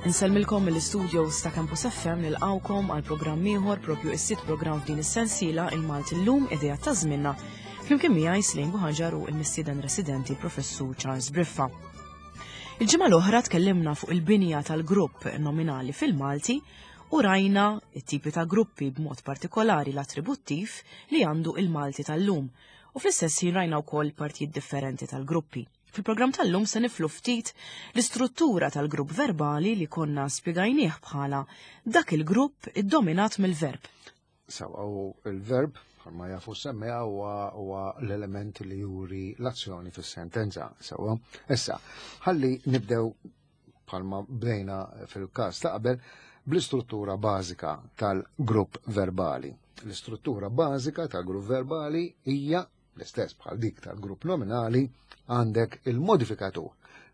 Insellmilkom mill-istudios ta' Campus FM nilqawkom għal programm ieħor propju is-sitt programm f'din is-sensiela il-Malti llum idea ta' żminna. Flimkien miegħi Slejn Buħaġar u l-mistieden residenti Professur Charles Briffa. Il-ġimgħa l-oħra tkellimna fuq il-binja tal-grupp nominali fil-Malti u rajna it-tipi ta' gruppi b'mod partikolari l-attributtiv li għandu il-Malti tal-lum u fl-istess ħin rajna wkoll partijiet differenti tal-gruppi. Fil-programm tal-lum se niflu ftit l-istruttura tal-grupp verbali li konna spjegajnieh bħala dak il-grupp iddominat mill-verb. Sawa u il-verb bħalma jafu semmija huwa l-element li juri l-azzjoni fis-sentenza. Sawa, issa, ħalli nibdew bħalma bdejna fil-każ ta' qabel bl-istruttura bażika tal-grupp verbali. L-istruttura bażika tal-grupp verbali hija L-istess bħal dik tal-grupp nominali għandek il-modifikatur,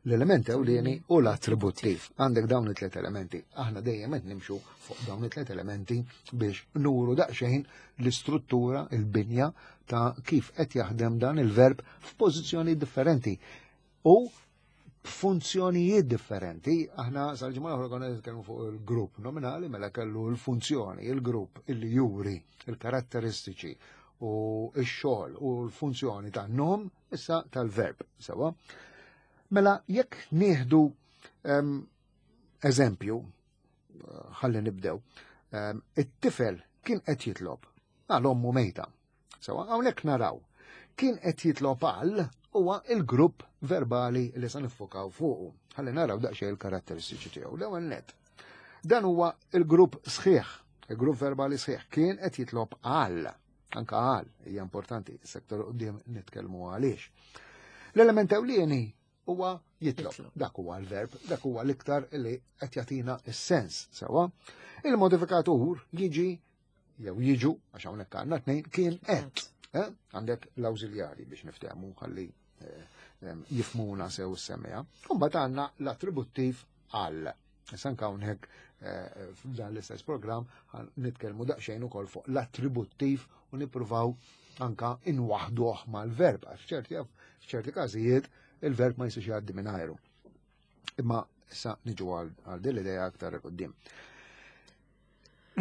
l-element ewlieni u l-attributtiv. Għandek dawn it-tliet elementi. Aħna dejjem qed nimxu fuq dawn it-tliet elementi biex nuru daqsxejn l-istruttura, il-binja ta' kif qed jaħdem dan il-verb f'pożizzjoni differenti. U b'funzjonijiet differenti. Aħna sal-ġimgħa l-oħra konna nitkellmu fuq il-grupp nominali mela kellu l-funzjoni, il-grupp illi juri il-karatteristiċi u x-xogħol u l-funzjoni ta' nom issa tal-verb. Sewa. Mela jekk nieħdu ehm, eżempju, ħalli nibdew, ehm, it-tifel kien qed jitlob għal ommu mejta. Sewa hawnhekk naraw kien qed jitlob għal huwa il-grupp verbali li se niffokaw fuqu. Ħalli naraw daqsxejn il-karatteristiċi tiegħu. L-ewwel net. Dan huwa il-grupp sħiħ, il-grupp verbali sħiħ kien qed jitlob għal. Anka għal, hija importanti, sektor qudiem nitkellmu għaliex. L-element ewlieni huwa jitlob. Dak huwa l-verb, dak huwa l-iktar li qed jagħtina s-sens sewwa. Il-modifikatur jiġi jew jiġu, għax hawnhekk għandna tnejn, kien qed. Eh? Għandek l-awżiljari biex niftehmu ħalli eh, jifmuna sew s-semmija. Mbagħad għandna l-attributtiv għal. Issa anke hawnhekk eh, f'dan l-istess programm nitkellmu daqsxejn ukoll fuq l-attributtiv u nippruvaw anka inwaħduh mal-verb għax f'ċerti każijiet il-verb ma jistax jgħaddi mingħajru. Imma issa niġu għal din l-idea aktar quddiem.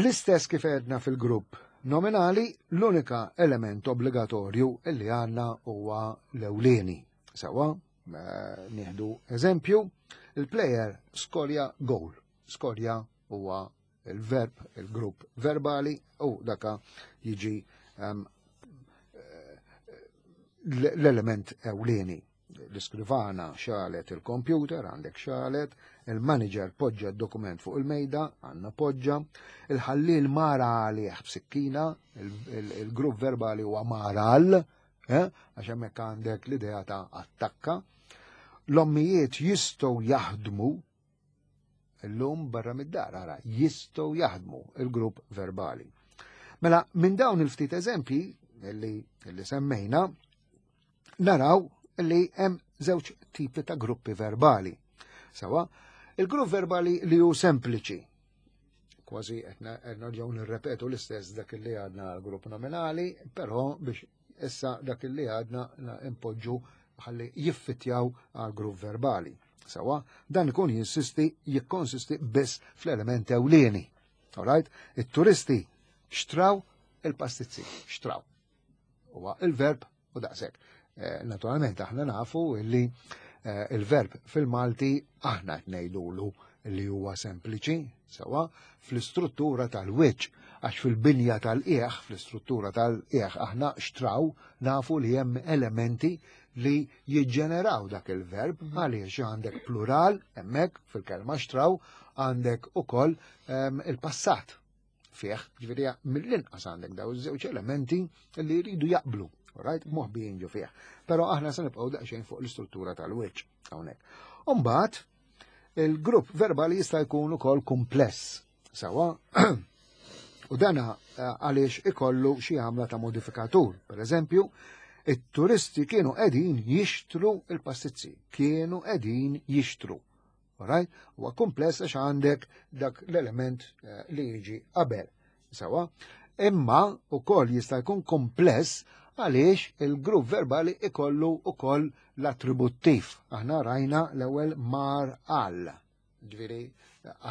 L-istess kif għedna fil-grupp nominali, l-unika element obbligatorju li għandna huwa l-ewlieni. Sawa, eh, nieħdu eżempju, il-player skorja goal. Skorja huwa il-verb, il-grupp verbali u daka jiġi um, l-element ewlieni. L-iskrivana xalet il-kompjuter, għandek xalet, il-manager poġġa d-dokument fuq il-mejda, għandna poġġa, il-ħallil mara għalih b'sikkina, il-grupp verbali huwa maral, eh, għax hemmhekk għandek l-idea ta' attakka. L-ommijiet jistgħu jaħdmu illum barra mid-dar, ara, jistgħu jaħdmu il-grupp verbali. Mela, minn dawn il-ftit eżempji li, li semmejna, naraw li hemm żewġ tipi ta' gruppi verbali. Sawa, il-grupp verbali li hu sempliċi, kważi qed nerġgħu nirrepetu l-istess dak li għadna l-grupp nominali, però biex issa dak li għadna impoġġu ħalli jiffittjaw għal grupp verbali. Sawa, dan ikun jinsisti, jikkonsisti biss fl-element ewlieni. Alright? It-turisti xtraw il-pastizzi, xtraw. Huwa il-verb u daqshekk. Eh, naturalment aħna nafu illi eh, il-verb fil-Malti aħna qed ngħidulu li huwa sempliċi, sewa, fl-istruttura tal-wiċċ, għax fil-binja tal-qieħ, fl-istruttura tal-qieħ aħna xtraw nafu li hemm elementi li jiġġeneraw dak il-verb mhm. għaliex għandek plural hemmhekk fil-kelma xtraw għandek ukoll ehm, il-passat fih, ġifieri mill-inqas għandek daw iż-żewġ elementi li jridu jaqblu, right? Moħbijin ġo fih. Però aħna se nibqgħu daqsxejn fuq l-istruttura tal-wiċċ hawnhekk. Umbagħad il-grupp verbali jista' jkun ukoll kumpless. Sawa, u dana eh, għaliex ikollu xi għamla ta' modifikatur. Per eżempju, it-turisti kienu qegħdin jixtru il-pastizzi, kienu qegħdin jixtru. Alright? Huwa kumpless għax għandek dak l-element eh, li jiġi qabel. Sawa? Imma ukoll jista' jkun kumpless għaliex il-grupp verbali ikollu ukoll l-attributtiv. Aħna rajna l-ewwel mar għal. Ġifieri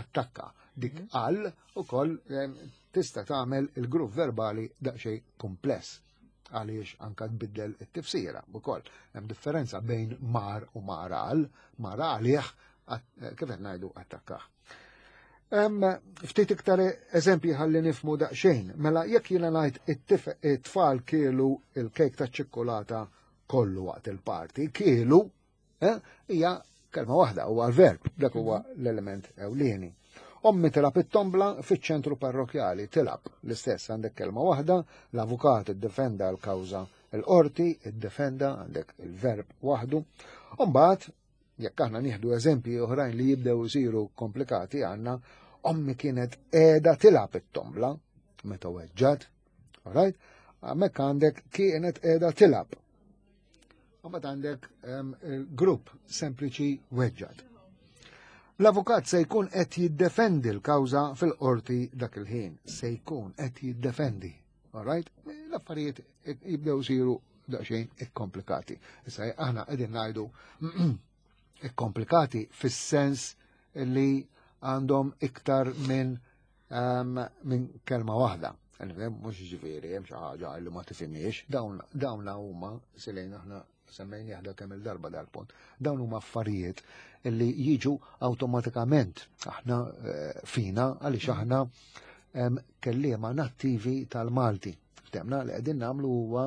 attakka. Dik għal ukoll tista' tagħmel il-grupp verbali daqsxejn kumpless għaliex anka tbiddel it-tifsira ukoll. Hemm differenza bejn mar u mar għal, mar għalih kif qed ngħidu attakkah. Ftit iktar eżempji ħalli nifmu daqsxejn. Mela jekk jiena ngħid it-tfal kielu il-kejk taċ-ċikkulata kollu waqt il-parti, kielu eh, hija kelma waħda huwa l-verb, dak huwa l-element ewlieni. Ommi tilab it-tombla fiċ-ċentru parrokjali, tilab l-istess għandek kelma waħda, l-avukat iddefenda l-kawża l-qorti, iddefenda għandek il-verb waħdu. Umbagħad, jekk aħna nieħdu eżempji oħrajn li jibdew isiru komplikati għandna, ommi kienet qiegħda tilab it-tombla meta weġġat, alright? Hemmhekk għandek kienet qiegħda tilab. Mbagħad għandek grupp sempliċi weġġat. L-avukat se jkun qed jiddefendi l-kawża fil-qorti dak il-ħin. Se jkun qed jiddefendi. All right? L-affarijiet jibdew isiru daqsxejn ikkomplikati. Issa aħna qegħdin ngħidu ikkomplikati fis-sens li għandhom iktar minn minn kelma waħda. Mhux ġifieri hemm xi ħaġa li ma tifhimiex, dawn huma silejn aħna semmejn jaħda kemm il-darba dal-punt. Dawn huma affarijiet li jiġu awtomatikament aħna eh, fina għaliex aħna kelliema nattivi tal-Malti. Ftemna li qegħdin nagħmlu huwa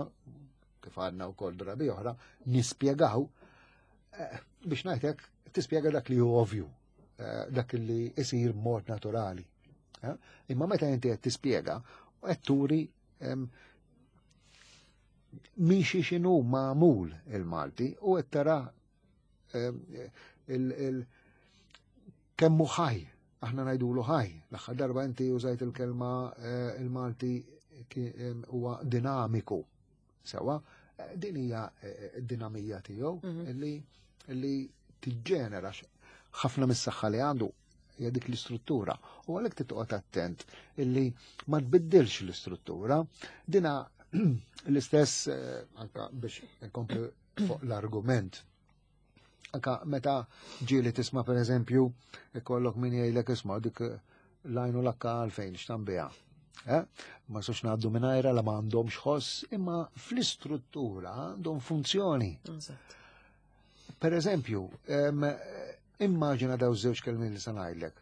kif għadna wkoll drabi oħra nispjegaw eh, biex ngħidlek tispjega dak li hu ovvju Eh, dak li isir mod naturali. Eh, imma meta inti qed tispjega qed turi min xi x'inhu magħmul il-Malti u qed tara kemmu ħaj, aħna ngħidulu ħaj. L-aħħar darba inti użajt il-kelma eh, il-Malti huwa dinamiku. Sewa, din hija eh, d-dinamija tiegħu mhm. li li tiġġenera ħafna mis-saħħa li għandu hija dik l-istruttura. U għalhekk titqgħod attent illi ma tbiddilx l-istruttura. Dina l-istess eh, anka biex nkompli fuq l-argument. Anka meta ġieli tisma' pereżempju ikollok min jgħidlek isma' dik lajnu lakka għalfejn x'tambiha. Eh? Ma sux ngħaddu mingħajra la ma għandhomx ħoss, imma fl-istruttura għandhom funzjoni. Per eżempju, immaġina daw żewġ kelmiet li se ngħidlek.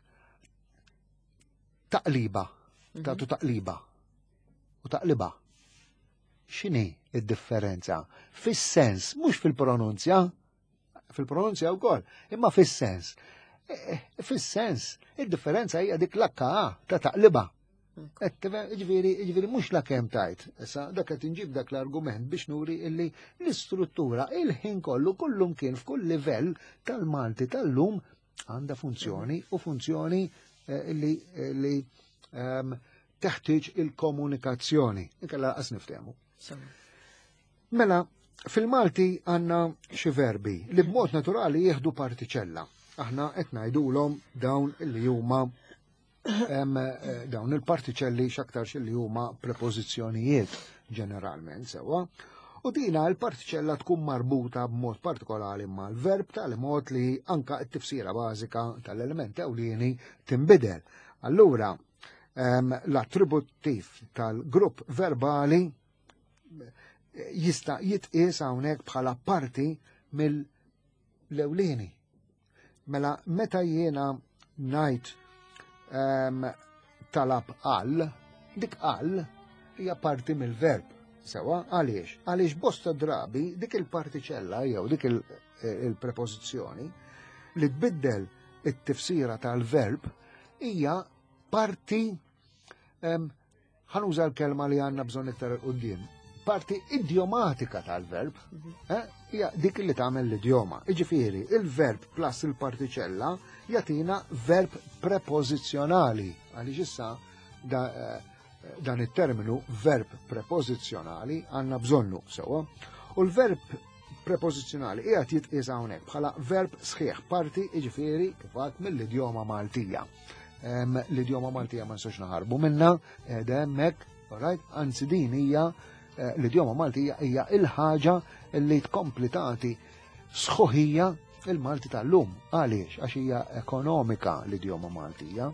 Taqliba, mhm. tagħtu taqliba u taqliba. X'inhi id-differenza? Fis-sens, mhux fil-pronunzja, fil-pronunzja wkoll, imma fis-sens. E, e, fis-sens, id-differenza hija dik l-akka ta' taqliba. Ġifieri, ġifieri mhux la kemm tajt. Issa dak qed inġib dak l-argument biex nuri illi l-istruttura il-ħin kollu kullum kien f'kull livell tal-Malti tal-lum għandha funzjoni u funzjoni eh, li, eh, li ehm, teħtieġ il-komunikazzjoni. Inkella qas niftehmu. Mela, fil-Malti għandna xi verbi li b'mod naturali jieħdu partiċella. Aħna qed ngħidulhom dawn li huma eh, dawn il-partiċelli x'aktarx li huma prepożizzjonijiet ġeneralment sewwa. U dina l-partiċella tkun marbuta b'mod partikolari mal-verb tal-mod li anka t-tifsira bażika tal-element ewlieni tinbidel. Allura, l-attributtiv tal-grupp verbali jista' jitqies hawnhekk bħala parti mill-ewlieni. Mela meta jiena ngħid um, talab għal, dik għal hija parti mill-verb. Sewa, għaliex? Għaliex bosta drabi dik il-partiċella jew dik il-prepożizzjoni li tbiddel it-tifsira tal-verb hija parti ħanuża l-kelma li għandna bżonn iktar quddiem. Parti idjomatika tal-verb, mhm. eh, hija dik li tagħmel l-idjoma. Iġifieri, il-verb plus il-partiċella jagħtina verb prepożizzjonali. Għaliex issa eh, dan it-terminu verb prepożizzjonali għandna bżonnu sewwa. U l-verb prepożizzjonali qiegħed jitqies hawnhekk bħala verb sħiħ parti jiġifieri kif mill-idjoma Maltija. L-idjoma Maltija ma nistgħux naħarbu minna, qiegħda hemmhekk, alright? Anzi din hija eh, l-idjoma Maltija hija il-ħaġa li tkompli tagħti sħuħija il-Malti tal-lum. Għaliex? Għax hija ekonomika l-idjoma Maltija.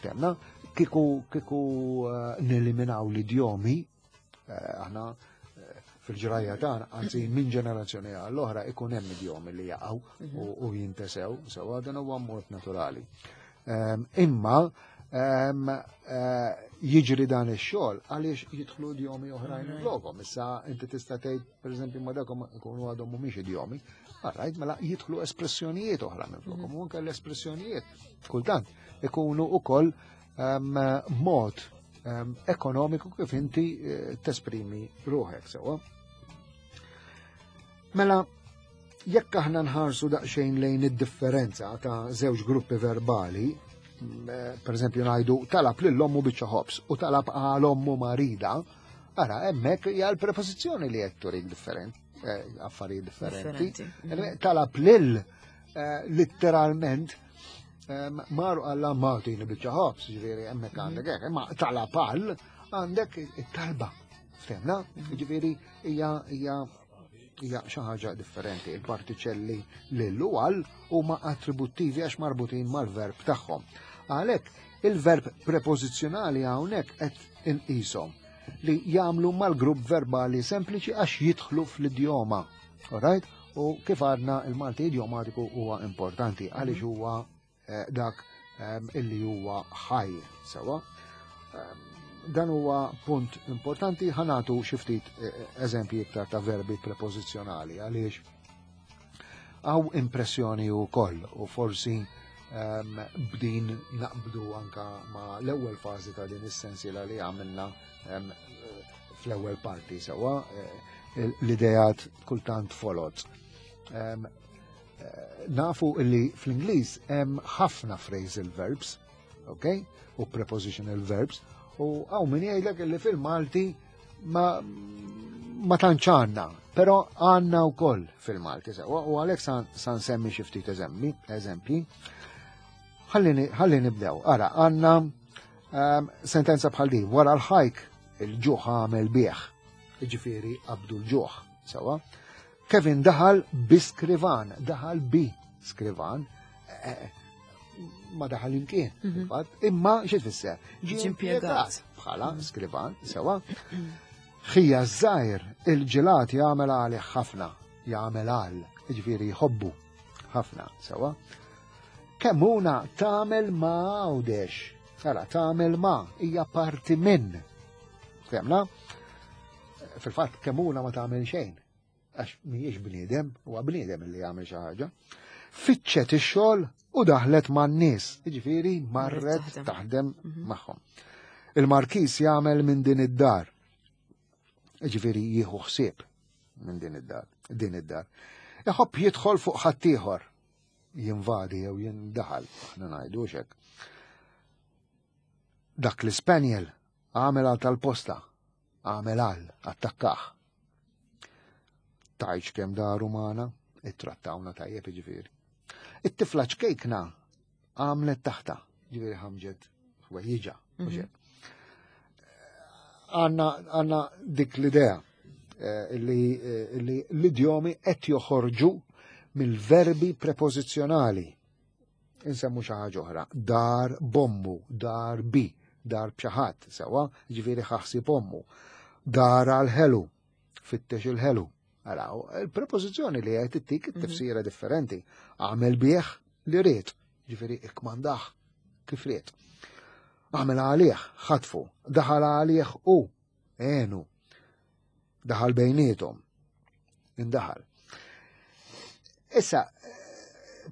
Ftemna, kieku kieku eh, neliminaw l-idjomi, eh, aħna eh, fil-ġrajja tagħna, anzi minn ġenerazzjoni għall-oħra ikun hemm idjomi li jaqgħu mhm. u jintesew, sewa dan huwa mod naturali. Ehm, imma ehm, eh, jiġri dan ix-xogħol għaliex jidħlu idjomi oħrajn mhm. lokom. Issa inti tista' tgħid pereżempju ma dakom ikunu għadhom mhumiex idjomi, Alright, mela jidħlu espressjonijiet oħra minn flokom, mhm. u anke l-espressjonijiet kultant ikunu ukoll ehm, mod ekonomiku kif inti eh, tesprimi ruħek sewwa. Mela, jekk aħna nħarsu daqsxejn lejn id-differenza ta' żewġ gruppi verbali, mm, eh, per eżempju ngħidu talab lil ommu biċċa ħobż u talab għal ommu marida, ara hemmhekk hija l-prepożizzjoni li qed turik differenti, eh, affarijiet differenti. Talab lil eh, letteralment maru għalla Martin biċċa ħobż, ġifieri hemmhekk mhm. għandek hekk, imma talab għal għandek it-talba. Ftemna? Mhm. Ġifieri hija hija hija xi ħaġa differenti. Il-partiċelli lil u għal huma attributtivi għax marbutin mal-verb tagħhom. Għalhekk il-verb prepożizzjonali hawnhekk qed inqishom li jagħmlu mal-grupp verbali sempliċi għax jidħlu fl-idjoma. Alright? U kif għadna il-Malti idjomatiku huwa importanti għaliex mhm. huwa eh, dak ehm, illi huwa ħaj sewa. Ehm, dan huwa punt importanti ħanatu xi ftit eh, eżempji iktar ta' verbi prepożizzjonali għaliex għaw impressjoni u koll u forsi ehm, b'din naqbdu anka ma l-ewwel fażi ta' din is-sensiela li għamilna fl-ewwel parti sewa eh, l-idejat kultant folot. Eh, nafu illi fl-Ingliż hemm ħafna phrasal verbs, ok? U prepositional verbs, u għaw min jgħidlek illi fil-Malti ma ma tantx għandna, però għandna wkoll fil-Malti sewa u għalhekk san nsemmi xi ftit eżempji. Ħalli nibdew. Ara, għandna ehm, sentenza bħal din, wara l-ħajk il-ġuħ għamel bieħ. Ġifieri qabdu l-ġuħ, sewa. Kevin daħal bi skrivan, daħal bi skrivan, eh, eh, ma daħal imkien, mhm. imma xi tfisser? Ġie impjegat bħala mhm. skrivan, sewa. Ħija żgħir il-ġelat jagħmel għalih ħafna, jagħmel għal, ġifieri jħobbu ħafna, sewa. Kemmuna tagħmel ma għawdex. Ara, tagħmel ma hija parti minn. Fehmna? Fil-fatt kemmuna ma tagħmel xejn. Għax mhijiex bniedem, huwa bniedem li jagħmel xi ħaġa. Fittxet ix-xogħol u daħlet man-nies, jiġifieri marret taħdem mhm. magħhom. Il-Markis jagħmel minn din id-dar. Ġifieri jieħu ħsieb minn din id-dar, din id-dar. Iħobb jidħol fuq ħaddieħor jinvadi jew jindaħal, aħna ngħidu hekk. Dak l-Spaniel għamel għal tal-posta, għamel għal, attakkaħ. Tajċ kemm daru magħna, ittrattawna tajjeb ġifieri. It-tifla ċkejkna għamlet taħta, ġifieri ħamġet ħwejjiġa, mhm. Għanna dik l-idea eh, li eh, l-idjomi qed joħorġu mill-verbi prepożizzjonali. Insemmu xi ħaġa oħra, dar bommu, dar bi, dar b'xi sewa, ġifieri ħaħsib ommu. Dar għal ħelu, fittex il-ħelu. Araw, il-prepożizzjoni li qed ittik mhm. tifsira differenti. Għamel bih li ried, ġifieri ikkmandah kif ried. Għamel għalih, ħatfu, daħal għalih u għenu. Daħal bejnietom. Indaħal. Issa,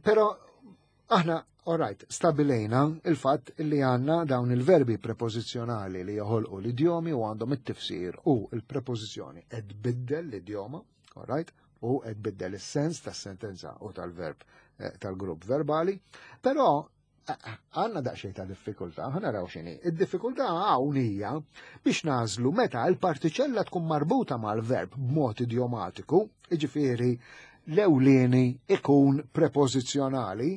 pero aħna, all right, stabilejna il-fatt li għanna dawn il-verbi prepożizzjonali li joħolqu l-idjomi u għandhom it-tifsir u il-prepożizzjoni qed biddel l-idjoma, all right, u qed biddel is-sens tas-sentenza u tal-verb eh, tal-grupp verbali, però għanna daqsxejn ta' diffikultà, ħa naraw x'inhi. Id-diffikultà hawn hija biex nażlu meta l-partiċella tkun marbuta mal-verb b'mod idiomatiku, jiġifieri l-ewlieni ikun prepożizzjonali,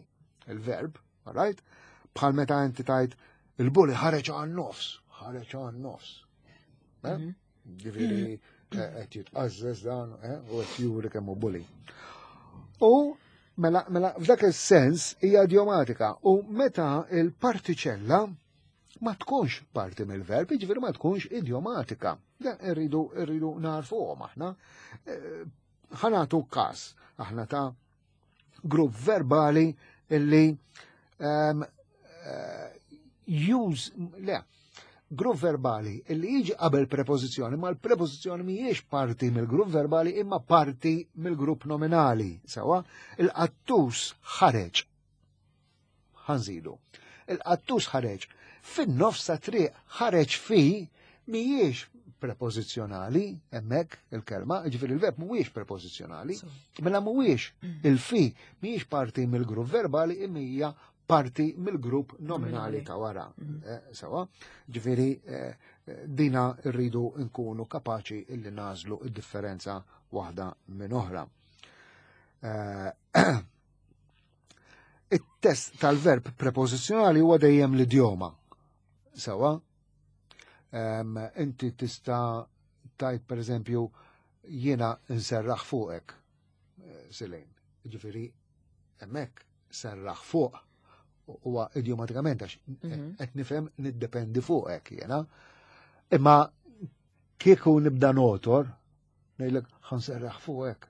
il-verb, right? Bħal meta inti tajt il-buli ħareġ għan nofs, ħareġ għan nofs. Eh? Mhm. Ġifieri eh, qed jitqażżeż dan eh, u qed juri kemm hu buli. U Mela, mela f'dak is-sens hija idiomatika u meta il-partiċella ma tkunx parti mill-verb, jiġifieri ma tkunx idiomatika. Dan irridu irridu narfuhom aħna. Eh, ħanatu każ aħna ta' grupp verbali illi um, use, le, grupp verbali illi jiġi qabel prepożizzjoni, ma l-prepożizzjoni mhijiex parti mill-grupp verbali imma parti mill-grupp nominali. Sawa, il-qattus ħareġ. Ħanżidu. Il-qattus ħareġ. Fin-nofs ta' triq ħareġ fi mhijiex prepożizzjonali hemmhekk il-kelma, ġifieri il-verb mhuwiex prepożizzjonali, mela mhuwiex il-fi mhijiex parti mill-grupp verbali imma hija parti mill-grupp nominali ta' wara. Mhm. Eh, sawa, ġifieri eh, dina rridu nkunu kapaċi illi nażlu id-differenza waħda minn oħra. Eh, it-test tal-verb prepożizzjonali huwa dejjem l-idjoma. Sawa, inti tista' tajt per eżempju jiena nserraħ fuqek, Silejn. Ġifieri hemmhekk serraħ fuq huwa idiomatikament għax mhm. qed nifhem niddependi fuqek jiena. Imma kieku nibda notor, ngħidlek ħanserraħ fuqek.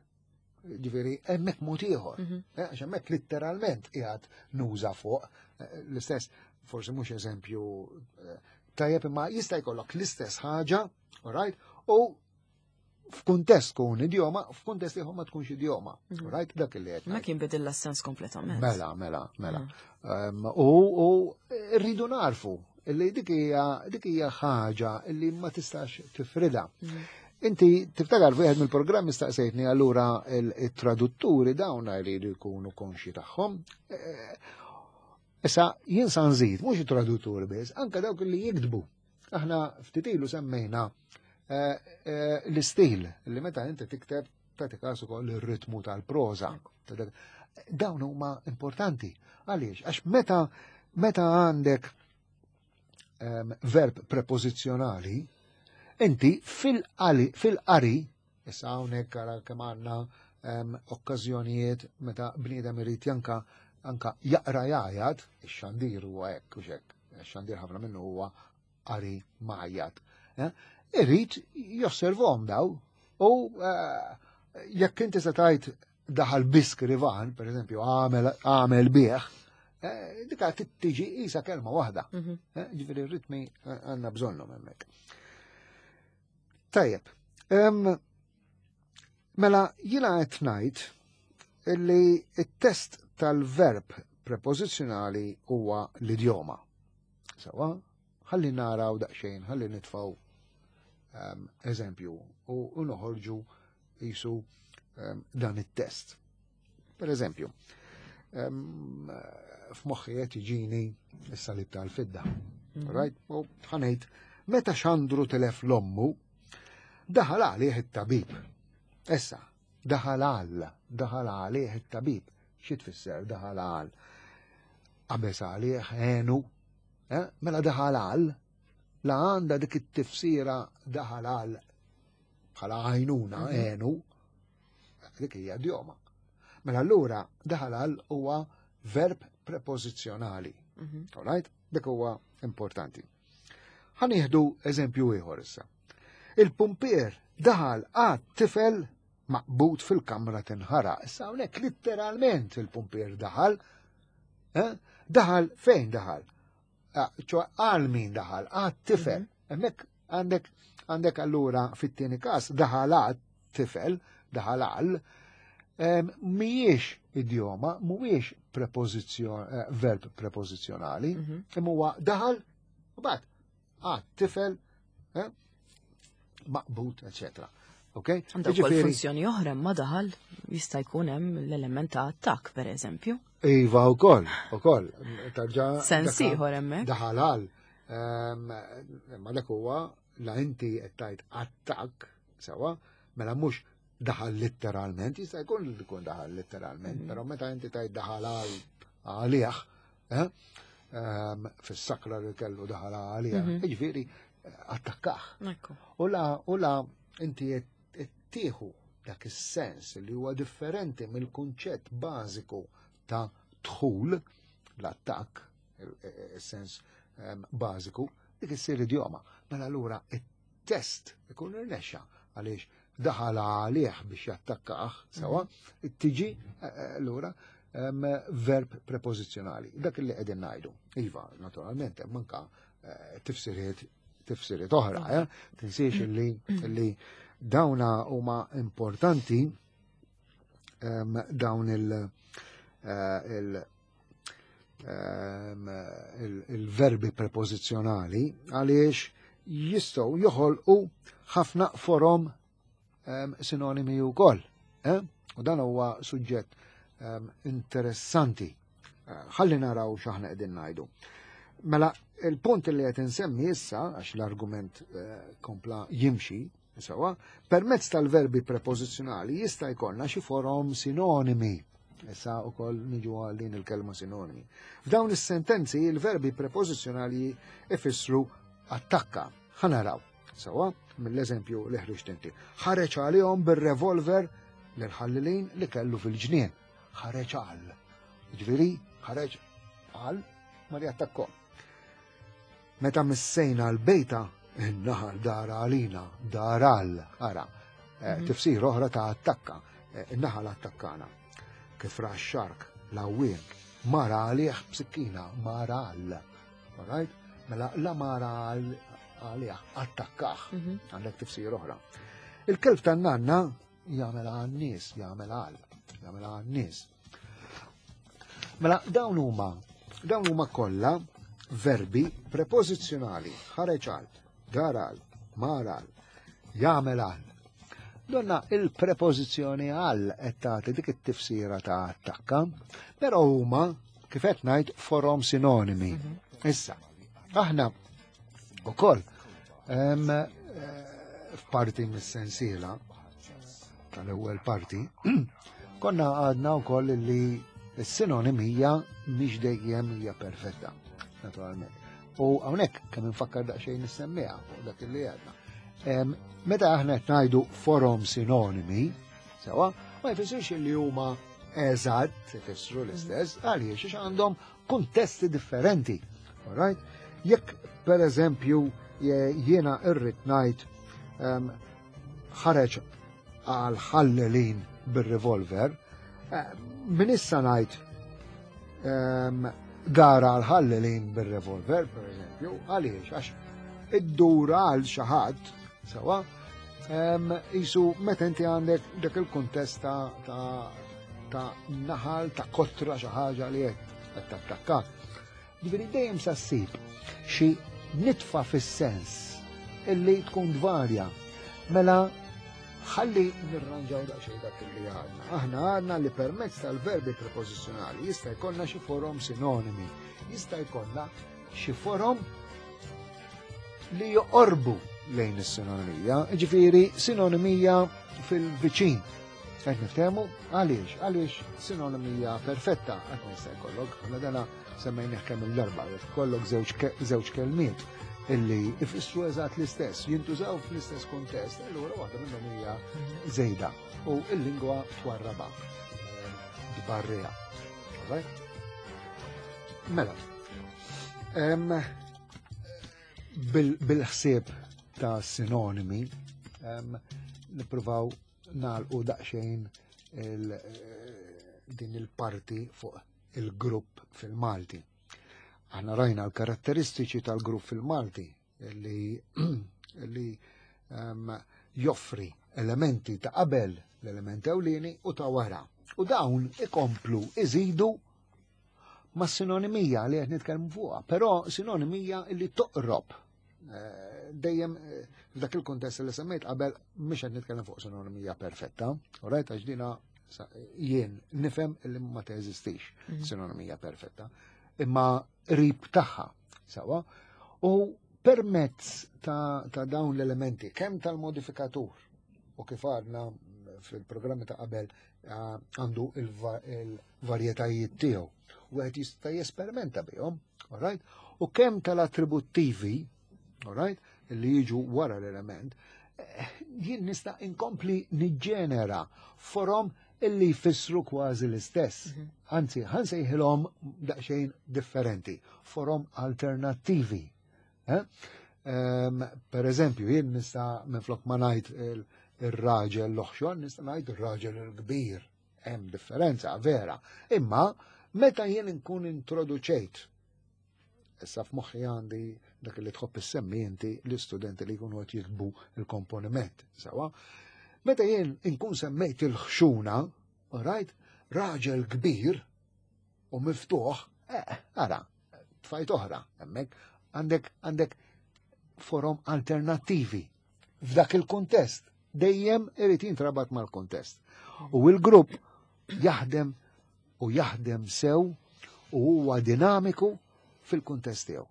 Ġifieri hemmhekk mod ieħor. Mhm. Eh, għax hemmhekk litteralment qiegħed nuża fuq eh, l-istess, forsi mhux eżempju eh, tajjeb imma jista' jkollok l-istess ħaġa, all right? U f'kuntest tkun idjoma, f'kuntest ieħor ma tkunx idjoma. Mhm. Right? Dak li qed. Ma kien bidilla s-sens kompletament. Mela, mela, mela. Mhm. U rridu narfu li dik hija dik hija ħaġa li ma tistax tifrida. Mhm. Inti tiftakar wieħed mill-programmi staqsejtni allura il-tradutturi dawn jridu jkunu konxi tagħhom. Eh, issa jien sa nżid mhux it-tradutturi biss, anke dawk li jiktbu. Aħna ftit ilu semmejna eh, eh, l-istil li meta inti tikteb tagħti każ ukoll ir-ritmu tal-proża. Dawn huma importanti. Għaliex? Għax meta meta għandek ehm, verb prepożizzjonali, inti fil-qari, issa hawnhekk ara kemm għandna ehm, okkażjonijiet meta bniedem irid janka anka jaqra jgħajat, ix-xandir huwa hekk u xekk xandir ħafna minnu huwa qari majjat. Eh? Irrid josservhom daw u eh, jekk inti se tajt daħal biskrivan, per eżempju, għamel bieħ, eh, dika tiġi isa kelma waħda. Mhm. Ġifieri r-ritmi għandna bżonnhom hemmhekk. Tajjeb, mela jiena qed ngħid illi t-test tal-verb prepożizzjonali huwa l-idjoma. Sawa, ħalli naraw daqsxejn, ħalli nitfaw um, eżempju u noħorġu jisu um, dan it-test. Per eżempju, um, f'moħħi qed jiġini s-salib tal-fidda. Mm. Right? U ħanejt, meta xandru telef l-ommu, daħal għalih it-tabib. Issa, daħal għal, daħal għalih it-tabib. Xi tfisser daħal għal? Qabeż għalih għenu, eh? mela daħal għal, la għandha dik it-tifsira daħal għal bħala għajnuna mhm. għenu, dik hija idjoma. Mela allura daħal għal huwa verb prepożizzjonali. Mhm. All right? Dik huwa importanti. Ħanieħdu eżempju ieħor issa. Il-pumpier daħal għad tifel maqbud fil-kamra tinħara. Issa hawnhekk litteralment il-pumpier daħal. Eh? Daħal fejn daħal? Ah, ċo għal min daħal? Għad tifel. Mhm. Hemmhekk għandek għandek allura fit-tieni każ daħal għad tifel, daħal għal, mhijiex idjoma, mhuwiex prepożizzjon eh, verb prepożizzjonali, mhm. imma huwa daħal u bad għad tifel eh, maqbut, eccetera. Ok? Għandha wkoll funzjoni oħra ma daħal jista' jkun hemm l-element ta' attakk pereżempju. Iva wkoll, ukoll. Tarġa' Sens ieħor hemmhekk. Daħal għal. Ma dak huwa la inti qed tgħid attakk sewa, mela mhux daħal litteralment, jista' jkun li jkun daħal litteralment, mm. però meta inti tgħid daħal għal għalih, eh, fis-sakra li kellu daħal għalih, mhm. jiġifieri attakkaħ. U la u la inti tieħu dak is-sens li huwa differenti mill-kunċett bażiku ta' dħul, l-attakk, is-sens bażiku, dik issir idjoma. Mela allura it-test ikun irnexxa għaliex daħal għalih biex jattakkah, sewa, tiġi allura verb prepożizzjonali. Dak li qegħdin ngħidu. Iva, naturalment, hemm anka tifsiriet tifsiriet oħra, eh? Tinsiex li li dawna huma importanti dawn il- il- il-verbi prepożizzjonali għaliex jistgħu joħolqu ħafna forom sinonimi wkoll. Eh? U dan huwa suġġett interessanti. Ħalli naraw x'aħna qegħdin ngħidu. Mela, il-punt li qed insemmi issa, għax l-argument kompla jimxi, sewa, permezz tal-verbi prepożizzjonali jista' jkollna xi forom sinonimi. Issa wkoll niġu għal din il-kelma sinonimi. F'dawn is-sentenzi il-verbi prepożizzjonali ifissru attakka. Ħa naraw, sewa, mill-eżempju li ħriġt inti. Ħareġ għalihom bir-revolver l-ħallilin li kellu fil-ġnien. Ħareġ għal. Ġifieri, ħareġ għal ma li attakkom. Meta missejna l-bejta, in-naħal dar għalina, dar għal, ara, tifsir oħra ta' attakka, in-naħal attakkana. Kif ra x-xark, l-għawwiem, mara għalih b'sikkina, mara għal. Alright? Mela la mara għalih, attakkah, għandek tifsir oħra. Il-kelb tan-nanna jagħmel għan-nies, jagħmel għal, jagħmel għan-nies. Mela dawn huma kollha verbi prepożizzjonali, ħareġ għal, dar għal, mar għal, jagħmel għal. Donna il-prepożizzjoni għal qed tagħti dik it-tifsira ta' attakka, però huma kif qed ngħid forom sinonimi. Issa, aħna ukoll f'parti mis-sensiela tal-ewwel parti, konna għadna wkoll li s-sinonimija mhix dejjem hija perfetta, naturalment. U hawnhekk kemm infakkar daqsxejn nissemmiha fuq dak li għadna. Meta aħna qed ngħidu forom sinonimi, sewa, ma jfissirx li huma eżatt ifissru l-istess, għaliex għax għandhom kuntesti differenti. All right? Jekk per eżempju jiena irrid ngħid ħareġ għal ħallelin bir-revolver, min issa ngħid gara għal ħallelin bir-revolver, per eżempju, għaliex għax id-dura għal xi ħadd, sewa, jisu meta inti għandek dak il-kuntest ta' naħal, ta' kotra xi ħaġa li qed tattakka. Ġifieri dejjem sa ssib xi nitfa fis-sens illi tkun tvarja. Mela ħalli nirranġaw daqsxejn dak li għadna. Aħna għadna li permezz tal-verbi prepożizzjonali jista' jkollna xi forom sinonimi, jista' jkollna xi forom li joqorbu lejn is-sinonimija, ġifieri sinonimija fil-viċin. Qed niftehmu għaliex, għaliex sinonimija perfetta qatt ma jista' jkollok, aħna dana semmejnih kemm il-darba, jekk ikollok żewġ kelmiet illi ifissru eżatt l-istess, jintużaw fl-istess kuntest, allura waħda minnhom hija żejda u l-lingwa twarraba, tbarriha. Alright? Mela, bil-ħsieb ta' sinonimi, nippruvaw nagħlqu daqsxejn din il-parti fuq il-grupp fil-Malti. Aħna rajna l-karatteristiċi tal-grupp fil-Malti li joffri elementi ta' qabel l-element ewlieni u ta' wara. U dawn ikomplu iżidu ma' sinonimija li qed nitkellmu fuqha, però sinonimija li toqrob. Dejjem f'dak il-kuntest li semmejt qabel mhix qed nitkellem fuq sinonimija perfetta, u rajt għax dina jien nifhem li ma teżistix sinonimija perfetta, imma qrib tagħha sewwa. U permezz ta' dawn l-elementi, kemm tal-modifikatur u kif għadna fil-programmi ta' qabel għandu il-varjetajiet tiegħu, u qed jista' jesperimenta bihom, all right? U kemm tal-attributtivi, all right, li jiġu wara l-element, Jien nista' inkompli niġġenera forom illi jfissru kważi l-istess. Anzi, ħansejħilhom daqsxejn differenti, forom alternattivi. Eh? Per eżempju, jien nista' minflok ma ngħid ir-raġel l-oħxon, nista' ngħid ir-raġel il-kbir. Hemm differenza vera. Imma meta jien nkun introduċejt Issa f'moħħi għandi dak li tħobb issemmi inti l-istudenti li jkunu qed jiktbu il-komponiment. Sawa? Meta jien inkun semmejt il-ħxuna, right, raġel kbir u miftuħ, eh, ara, tfajt oħra, hemmhekk għandek għandek forom alternattivi f'dak il-kuntest. Dejjem irid jintrabat mal-kuntest. U il-grupp jaħdem u jaħdem sew u huwa dinamiku fil-kuntest tiegħu.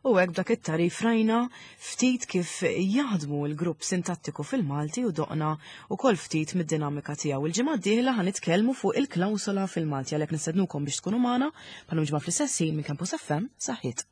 U hekk dak it-tarif rajna ftit kif jaħdmu l-grupp sintattiku fil-Malti u doqna ukoll ftit mid-dinamika tiegħu. Il-ġimgħa d-dieħla ħa nitkellmu fuq il-klawsola fil-Malti għalhekk nistednukom biex tkunu magħna bħalum ġimgħa fl-istess ħin minn Campus FM saħħiet.